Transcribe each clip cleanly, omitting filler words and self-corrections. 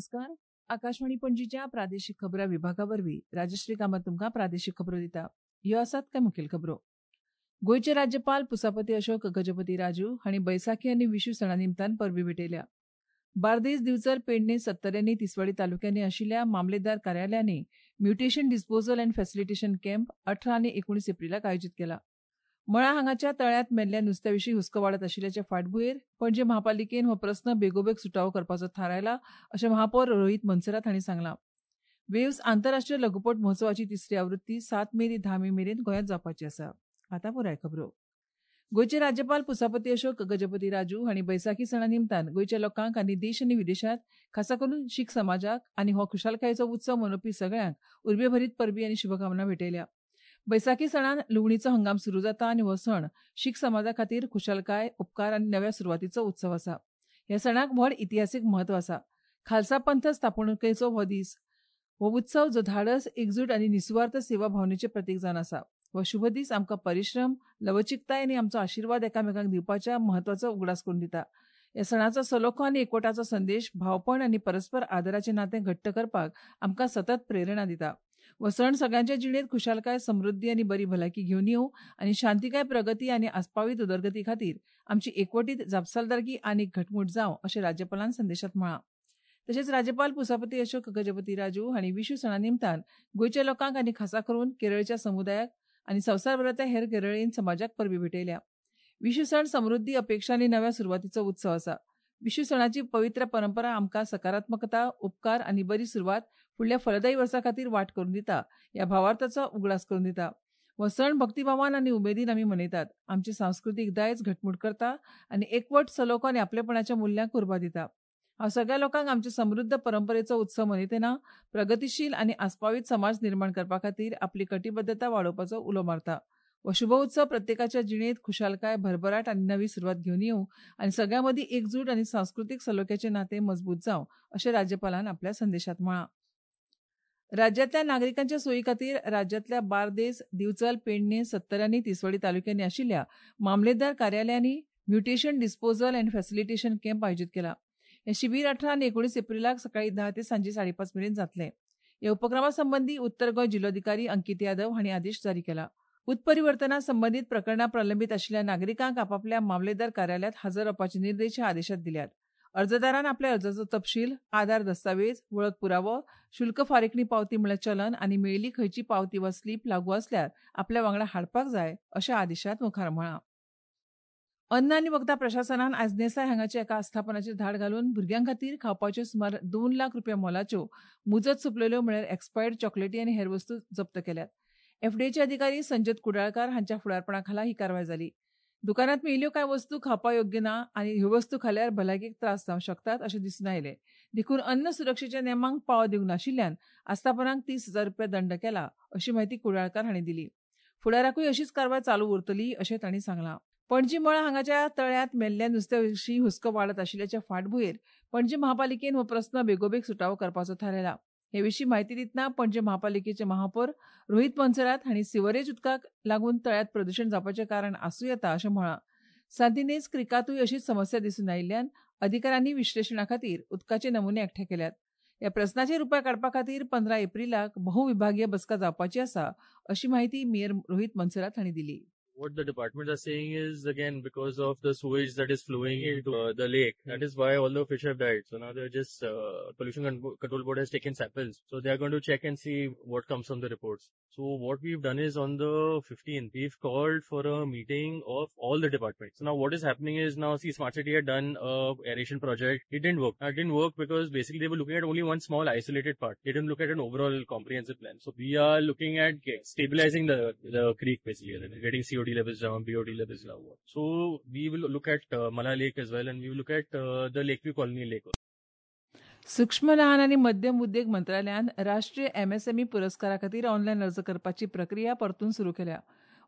नमस्कार. आकाशवाणी पणजीच्या प्रादेशीक खबरां विभागा वरवीं राजश्री कामत तुमकां प्रादेशीक खबरो दिता. ह्यो आसात कांय मुखेल खबरो. गोंयचे राज्यपाल पुसापती अशोक गजपती राजू हांणी बैसाखी आनी विशू सणा निमतान परबी भेटयल्या. बार्देस, दिवचल, पेडणे, सत्तऱ्यांनी, तिसवाडी तालुक्यांनी आशिल्ल्या मामलेदार कार्यालयांनी mutation disposal and facilitation camp 18 आनी 19 एप्रिलाक आयोजीत केला. मळा हांगाच्या तळ्यांत मेल्ल्या नुस्त्या विशीं हुस्को वाडत आशिल्ल्याचे फाटभुंयेर पणजे महापालिकेन हो प्रस्न बेगोबेग सुटावो करपाचो थारायला अशें महापौर रोहित मनसरात हांणी सांगलां. वेव्स आंतरराष्ट्रीय लघुपट महोत्सवाची तिसरी आवृत्ती 7 मे ते 10 मे मेरेन गोंयांत जावपाची आसा. आतां पुराय खबरो. गोंयचे राज्यपाल पुसापती अशोक गजपती राजू हांणी बैसाखी सणा निमतान गोंयच्या लोकांक आनी देश आनी विदेशांत खासा करून शीख समाजाक आनी हो खुशालकायेचो उत्सव मनोवपी सगळ्यांक उर्बेभरीत परबी आनी शुभकामना भेटयल्या. बैसाखी सणान लुवणीचो हंगाम सुरू जाता आनी हो सण शीख समाजा खातीर खुशालकाय, उपकार आनी नव्या सुरवातीचो उत्सव आसा. ह्या सणाक व्हड इतिहासीक म्हत्व आसा. खालसा पंथ स्थापणुकेचो हो दीस, हो उत्सव जो धाडस, एकजूट आनी निसुवार्थ सेवा भावनेचें प्रतीक जावन आसा. हो शुभ दीस आमकां परिश्रम, लवचिकताय आनी आमचो आशिर्वाद एकामेकांक दिवपाच्या म्हत्वाचो उगडास करून दिता. ह्या सणाचो सलोखो आनी एकवटाचो संदेश भावपण आनी परस्पर आदराचें नातें घट्ट करपाक आमकां सतत प्रेरणा दिता. हो सण सगळ्यांच्या जिणेंत खुशालकाय, समृद्धी आनी बरी भलायकी घेवन येवं आनी शांतिकाय, प्रगती आनी आस्पावीत उदरगती खातीर आमची एकवटीत जापसालदारकी आनी घटमूट जावं अशें राज्यपालान संदेशांत म्हळां. तशेंच राज्यपाल पुसापती अशोक गजपती राजू हांणी विशू सणा निमतान गोंयच्या लोकांक आनी खासा करून केरळच्या समुदायाक आनी संवसारभरांतल्या हेर केरळीन समाजाक परबी भेटयल्या. विशू सण समृद्धी, अपेक्षा आनी नव्या सुरवातीचो उत्सव आसा. विशू सणाची पवित्र परंपरा आमकां सकारात्मकता, उपकार आनी बरी सुरवात फुडल्या फलदायी वर्सा खातीर वाट करून दिता ह्या भावार्थाचो उगडास करून दिता. हो सण भक्तिभावान आनी उमेदीन आमी मनयतात. आमचे सांस्कृतीक दायज घटमूट करता आनी एकवट, सलोखो आनी आपलेपणाच्या मुल्यांक उर्बा दिता. हांव सगळ्या लोकांक आमचे समृद्ध परंपरेचो उत्सव मनयतना प्रगतीशील आनी आस्पावीत समाज निर्माण करपा खातीर आपली कटिबद्धता वाडोवपाचो उलो मारता. हो शुभ उत्सव प्रत्येकाच्या जिणेंत खुशालकाय, भरभराट आनी नवी सुरवात घेवन येवं आनी सगळ्यां मदीं एकजूट आनी सांस्कृतीक सलोख्याचें नातें मजबूत जावं अशें राज्यपालान आपल्या संदेशांत म्हळां. राज्यांतल्या नागरिकांच्या सोयी खातीर राज्यांतल्या बार्देस, दिवचल, पेडणे, सत्तऱ्यांनी, तिसवाडी तालुक्यांनी आशिल्ल्या मामलेदार कार्यालयांनी mutation disposal and facilitation camp आयोजीत केला. हें शिबीर 18 आनी 19 एप्रिलाक सकाळीं 10 ते सांजे 5:30 मेरेन जातलें. ह्या उपक्रमा संबंदी उत्तर गोंय जिल्लोधिकारी अंकित यादव हांणी आदेश जारी केला. उत्परिवर्तना संबंदीत प्रकरणां प्रलंबीत आशिल्ल्या नागरिकांक आपापल्या मामलेदार कार्यालयांत हजर रावपाचे निर्देश ह्या आदेशांत दिल्यात. अर्जदारान आपल्या अर्जाचो तपशील, आधार दस्तावेज, वळख पुरावो, शुल्क फारीकणी पावती म्हळ्यार चलन आनी मेळिल्ली खंयची पावती वा स्लीप लागू आसल्यार आपल्या वांगडा हाडपाक जाय अशें आदेशांत मुखार म्हळां. अन्न आनी वखदां प्रशासनान आयज नेसाय हांगाच्या एका आस्थापनाचेर धाड घालून भुरग्यां खातीर खावपाच्यो सुमार 2 लाख रुपया मोलाच्यो मुजत सोंपलेल्यो म्हळ्यार एक्सपायर्ड चॉकलेटी आनी हेर वस्तू जप्त केल्यात. एफडीएचे अधिकारी संजत कुडाळकार हांच्या फुडारपणा खाला ही कारवाय जाली. दुकानांत मेळिल्ल्यो कांय वस्तू खावपा योग्य ना आनी ह्यो वस्तू खाल्यार भलायकेक त्रास जावंक शकतात अशें दिसून आयलें. देखून अन्न सुरक्षेच्या नेमांक पाळो दिवंक नाशिल्ल्यान आस्थापनांक 30,000 रुपया दंड केला अशी म्हायती कुडाळकार हांणी दिली. फुडाराकूय अशीच कारवाय चालू उरतली अशें तांणी सांगलां. पणजी मळा हांगाच्या तळ्यांत मेल्ल्या नुस्त्या विशीं हुस्को वाडत आशिल्ल्याच्या फाटभुंयेर पणजी महापालिकेन हो प्रस्न बेगोबेग सुटावो करपाचो थारायला. हे विशीं म्हायती दितना पणजे महापालिकेचे महापौर रोहित मनसरात हांणी सिवरेज उदकाक लागून तळ्यांत प्रदूशण जावपाचें कारण आसूं येता अशें म्हळां. सांतिनेज क्रिकांतूय अशीच समस्या दिसून आयिल्ल्यान अधिकाऱ्यांनी विश्लेशणा खातीर उदकाचे नमुने एकठांय केल्यात. ह्या प्रस्नाचेर उपाय काडपा खातीर 15 एप्रिलाक बहुविभागीय बसका जावपाची आसा अशी म्हायती मेयर रोहित मनसरात हांणी दिली. What the departments are saying is, again, because of the sewage that is flowing into the lake, that is why all the fish have died. So now they're just, Pollution Control Board has taken samples. So they are going to check and see what comes from the reports. So what we've done is on the 15th, we've called for a meeting of all the departments. So now what is happening is now, see, Smart City had done a aeration project. It didn't work. It didn't work because basically they were looking at only one small isolated part. They didn't look at an overall comprehensive plan. So we are looking at stabilizing the creek basically, getting COD levels down, BOD levels down. So we will look at Mala Lake as well, and we will look at the Lakeview Colony Lake. सूक्ष्म, लहान आनी मध्यम उद्देग मंत्रालयान राष्ट्रीय MSME पुरस्कारा खातीर online अर्ज करपाची प्रक्रिया परतून सुरू केल्या.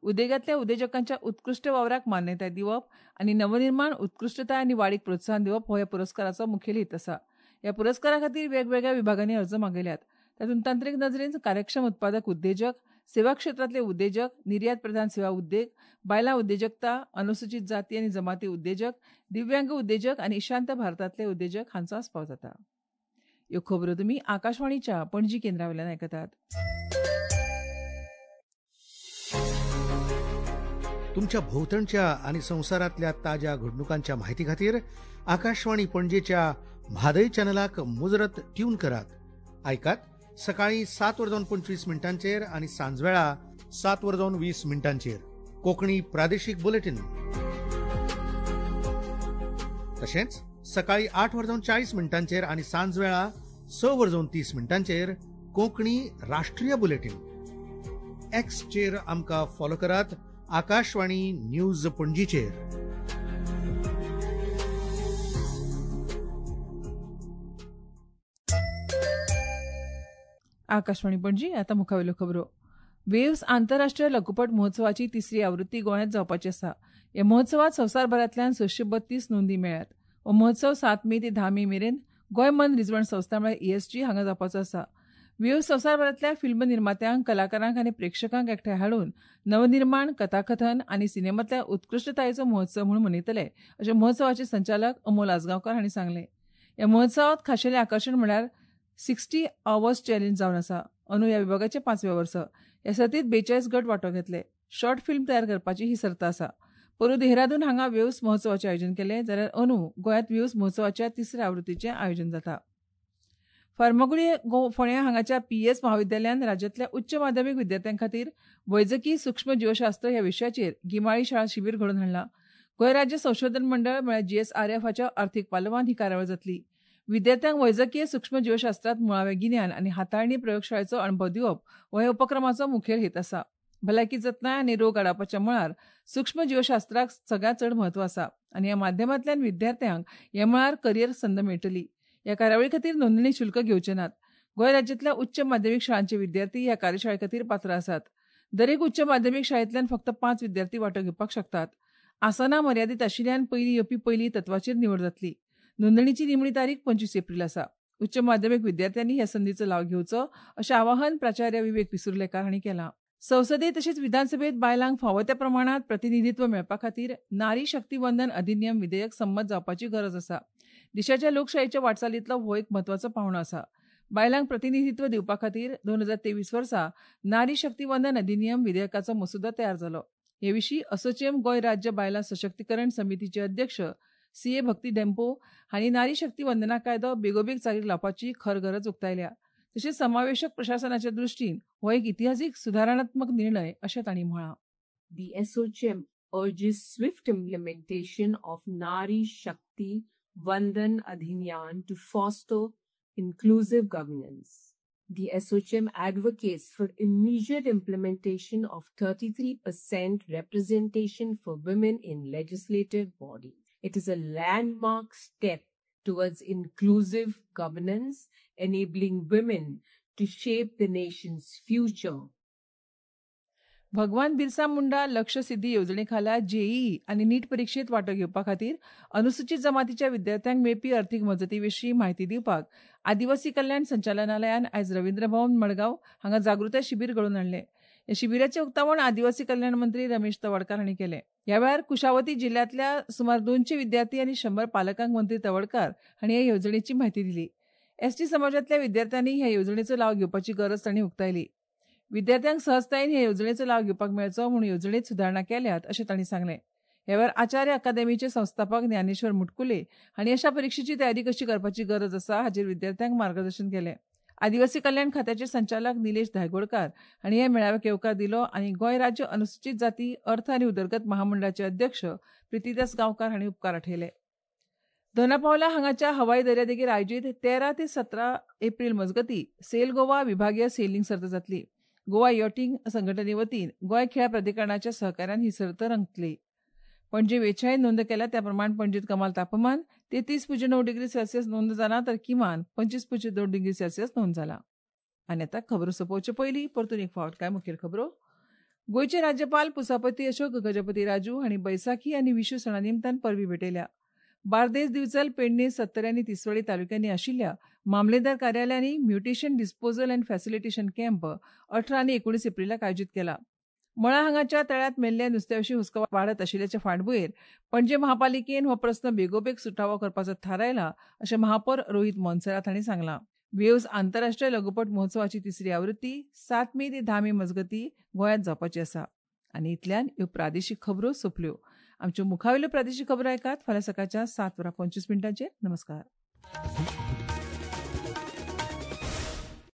उद्देगांतल्या उद्देजकांच्या उत्कृश्ट वावराक मान्यताय दिवप आनी नवनिर्माण, उत्कृश्टताय आनी वाडीक प्रोत्साहन दिवप हो ह्या पुरस्काराचो मुखेल हेत आसा. ह्या पुरस्कारा खातीर वेगवेगळ्या विभागांनी अर्ज मागयल्यात. तातूंत तंत्रीक नदरेन कार्यक्षम उत्पादक उद्देजक, सेवा क्षेत्रांतले उद्देजक, निर्यात प्रधान सेवा उद्देग, बायलां उद्देजकता, अनुसूचित जाती आनी जमाती उद्देजक, दिव्यांग उद्देजक आनी ईशांत भारतांतले उद्देजक हांचो आस्पाव जाता. ह्यो खबरो तुमी आकाशवाणीच्या पणजी केंद्रा वयल्यान आयकतात. तुमच्या भोवतणच्या आणि संवसारांतल्या ताज्या घडणुकांच्या माहिती खातीर आकाशवाणी पणजेच्या म्हादय चॅनलाक मुजरत ट्यून करात. आयकात सकाळी 7:25 आणि सांजवेळा 7:20 कोकणी प्रादेशिक बुलेटिन. तशेंच सकाळी 8:40 आणि सांजवेळा 6:30 कोकणी राष्ट्रीय बुलेटिन. एक्सचेर आमकां फॉलो करात आकाशवाणी न्यूज पणजीचेर. आकाशवाणी पणजी. आता मुखावेल्यो खबरो. वेव्स आंतरराष्ट्रीय लघुपट महोत्सवाची तिसरी आवृत्ती गोंयांत जावपाची आसा. ह्या महोत्सवात संवसारभरांतल्यान 632 नोंदी मेळ्ळ्यात. हो महोत्सव 7 मे ते 10 मे मेरेन गोंय मन रिजवण संस्था म्हळ्यार ESG हांगा जावपाचो आसा. वेव्स संवसारभरांतल्या फिल्म निर्मात्यांक, कलाकारांक आनी प्रेक्षकांक एकठांय हाडून नवनिर्माण, कथाकथन आनी सिनेमांतल्या उत्कृश्टतायेचो महोत्सव म्हूण मनयतले अशें महोत्सवाचे संचालक अमोल आजगांवकार हांणी सांगलें. ह्या महोत्सवात खाशेलें आकर्शण म्हळ्यार 60 आवर्स चॅलेंज जावन आसा. अंदू ह्या विभागाचें 5व्या वर्स. ह्या सर्तीत 42 गट वांटो घेतले. शॉर्ट फिल्म तयार करपाची ही सर्त आसा. पोरूं देहरादून हांगा वेव्स महोत्सवाचें आयोजन केलें, जाल्यार अंदू गोंयांत वेव्स महोत्सवाच्या तिसऱ्या आवृत्तीचें आयोजन जाता. फार्मागुडी फोंड्या हांगाच्या पीएस महाविद्यालयान राज्यांतल्या उच्च माध्यमीक विद्यार्थ्यां खातीर वैजकी सूक्ष्म जीवशास्त्र ह्या विशयाचेर गिमाळी शाळा शिबीर घडोवन हाडलां. गोंय राज्य संशोधन मंडळ म्हळ्यार GSRF हाच्या अर्थीक पालवान ही कार्यावळ जातली. विद्यार्थ्यांक वैजकीय सूक्ष्म जीवशास्त्रांत मुळावें गिन्यान आनी हाताळणी प्रयोगशाळेचो अणभव दिवप हो ह्या उपक्रमाचो मुखेल हेत आसा. भलायकी जतनाय आनी रोग आडावपाच्या मळार सूक्ष्म जीवशास्त्राक सगळ्यांत चड म्हत्व आसा आनी ह्या माध्यमांतल्यान विद्यार्थ्यांक ह्या मळार करियर संद मेळटली. ह्या कार्यावळी खातीर नोंदणी शुल्क घेवचे नात. गोंय राज्यांतल्या उच्च माध्यमीक शाळांचे विद्यार्थी ह्या कार्यशाळे खातीर पात्र आसात. दरेक उच्च माध्यमीक शाळेंतल्यान फक्त 5 विद्यार्थी वांटो घेवपाक शकतात. आसनां मर्यादीत आशिल्ल्यान पयलीं येवपी पयली तत्वाचेर निवड जातली. नोंदणीची निमणी तारीख 25 एप्रील आसा. उच्च माध्यमीक विद्यार्थ्यांनी ह्या संदीचो लाव घेवचो अशें आवाहन प्राचार्य विवेक पिसुर्लेकार हांणी केलां. संसदेत तशेंच विधानसभेत बायलांक फावो त्या प्रमाणांत प्रतिनिधित्व मेळपा खातीर नारी शक्ती वंदन अधिनियम विधेयक संमत जावपाची गरज आसा. देशाच्या लोकशायेच्या वाटचालींतलो हो एक म्हत्वाचो पावंडो आसा. बायलांक प्रतिनिधित्व दिवपा खातीर 2023 वर्सा नारी शक्ती वंदन अधिनियम विधेयकाचो मसुदो तयार जालो. हे विशीं असोचेम गोंय राज्य बायलां सशक्तीकरण समितीचे अध्यक्ष CA भक्ती डेम्पो हांणी नारी शक्ती वंदना कायदो बेगोबेग चालीक लावपाची खर गरज उक्तायल्या. तशेंच समावेशक प्रशासनाच्या दृश्टीन हो एक इतिहासीक सुदारणात्मक निर्णय अशें तांणी म्हळां. The ASSOCHAM urges swift implementation of Nari Shakti Vandan Adhiniyam to foster inclusive governance. The ASSOCHAM advocates for immediate implementation of 33% representation for women in legislative bodies. It is a landmark step towards inclusive governance, enabling women to shape the nation's future. Bhagwan Birsa Munda लक्ष सिद्धी येवजणेखाला JEE आनी नीट परिक्षेत वांटो घेवपा खातीर अनुसूचित जमातीच्या विद्यार्थ्यांक मेळपी अर्थीक मजती विशीं म्हायती दिवपाक आदिवासी कल्याण संचालनालयान आयज रवींद्र भवन मडगांव हांगा जागृताय शिबीर घडोवन हाडलें. ह्या शिबिराचें उक्तावण आदिवासी कल्याण मंत्री रमेश तवडकार हांणी केलें. ह्या वेळार कुशावती जिल्ह्यांतल्या सुमार 200 विद्यार्थी आनी 100 पालकांक मंत्री तवडकार हांणी ह्या येवजणेची म्हायती दिली. एसटी समाजांतल्या विद्यार्थ्यांनी ह्या येवजणेचो लाव घेवपाची गरज तांणी उक्तायली. विद्यार्थ्यांक सहजतायेन ह्या येवजणेचो लाव घेवपाक मेळचो म्हूण येवजणेत सुदारणा केल्यात अशें तांणी सांगलें. ह्या वेळार आचार्य अकादेमीचे संस्थापक ज्ञानेश्वर मुटकुले हांणी अशा परिक्षेची तयारी कशी करपाची गरज आसा हाचेर विद्यार्थ्यांक मार्गदर्शन केलें. आदिवासी कल्याण खात्याचे संचालक निलेश धायगोडकार हांणी ह्या मेळाव्याक येवकार दिलो आनी गोंय राज्य अनुसूचित जाती अर्थ आनी उदरगत महामंडळाचे अध्यक्ष प्रितीदास गांवकार हांणी उपकार आठयले. दोनापावला हांगाच्या हवाई दर्यादेगेर आयोजीत 13 ते 17 एप्रील मजगती सेल गोवा विभागीय सेलिंग सर्त जातली. गोवा यॉटिंग संघटने वतीन गोंय खेळा प्राधिकरणाच्या सहकार्यान ही सर्त रंगतली. पणजे वेछायेन नोंद केल्या त्या प्रमाण पणजेत कमाल तापमान 33.9 डिग्री सेल्सियस नोंद जाला, तर किमान 25.2 डिग्री सेल्सियस नोंद जाला. आनी आतां खबरो सोंपोवचे पयलीं परतून एक फावट कांय मुखेल खबरो. गोंयचे राज्यपाल पुसापती अशोक गजपती राजू हांणी बैसाखी आनी विशू सणा निमतान परबी भेटयल्या. बार्देस, दिवचल, पेडणे, सत्तरी आनी तिसवाडी तालुक्यांनी आशिल्ल्या मामलेदार कार्यालयांनी mutation disposal and facilitation camp 18 आनी 19 एप्रिलाक आयोजीत केला. मळा हांगाच्या तळ्यांत मेल्ल्या नुस्त्याविशीं हुस्को वाडत आशिल्ल्याचे फाटभुंयेर पणजे महापालिकेन हो प्रस्न बेगोबेग सुटावो करपाचो थारायला अशें महापौर रोहित मोन्सेरात हांणी सांगलां. वेव्ज आंतरराष्ट्रीय लघुपट महोत्सवाची तिसरी आवृत्ती 7 मे ते 10 मे मजगती गोंयांत जावपाची आसा. आनी इतल्यान ह्यो प्रादेशीक खबरो सोंपल्यो. आमच्यो मुखावेल्यो प्रादेशीक खबरो आयकात फाल्यां सकाळच्या 7:25. नमस्कार.